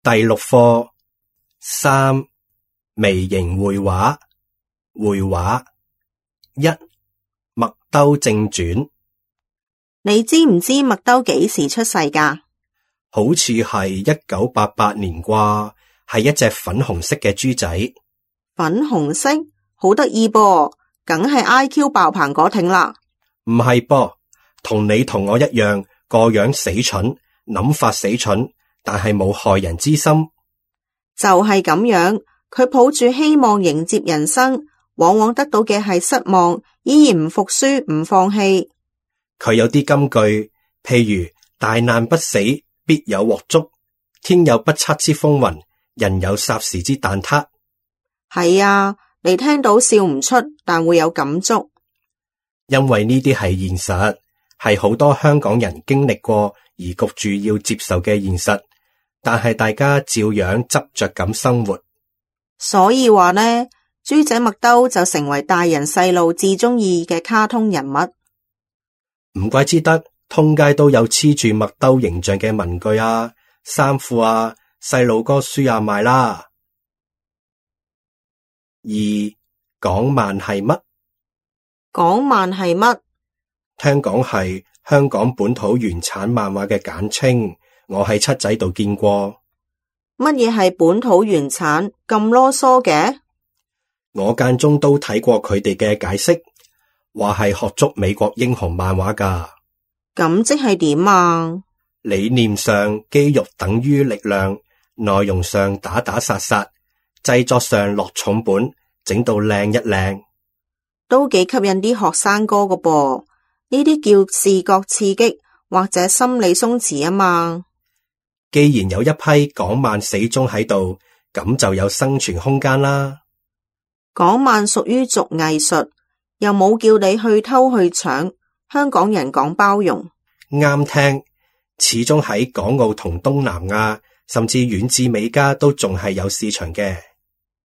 第6課3微型繪畫。繪畫1麥兜正傳。你知唔知麥兜幾時出世㗎？好似係1988年啩，係一隻粉紅色嘅豬仔。粉紅色？好得意噃，梗係 IQ 爆棚嗰挺啦。唔係噃，同你同我一樣，個樣死蠢，諗法死蠢，但係冇害人之心。就係咁樣，佢抱住希望迎接人生，往往得到嘅係失望，依然唔服輸，唔放棄。佢有啲金句，譬如大難不死，必有鑊粥；天有不測之風雲，人有霎時之蛋撻。係啊，你聽到笑唔出，但會有感觸。因為呢啲係現實，係好多香港人經歷過而焗住要接受嘅現實，但係大家照樣執着咁生活。所以話呢，豬仔麥兜就成為大人細路至中意嘅卡通人物。唔怪之得通街都有黐住麥兜形象嘅文具啊、衫褲啊、細路哥書啊賣啦。2港漫係乜？港漫係乜？聽講係香港本土原產漫畫嘅簡稱，我喺七仔度見過。乜嘢係本土原產？咁囉嗦嘅？我間中都睇過佢哋嘅解釋，話係學足美國英雄漫畫㗎。咁即係點啊？理念上肌肉等於力量，內容上打打殺殺，製作上落重本，整到靚一靚，都幾吸引啲學生哥㗎噃。呢啲叫視覺刺激或者心理鬆弛啊嘛。既然有一批港漫死忠喺度，咁就有生存空間啦。港漫屬於族藝術，又冇叫你去偷去搶。香港人講包容，啱聽。始終喺港澳同東南亞，甚至遠至美加都仲係有市場嘅。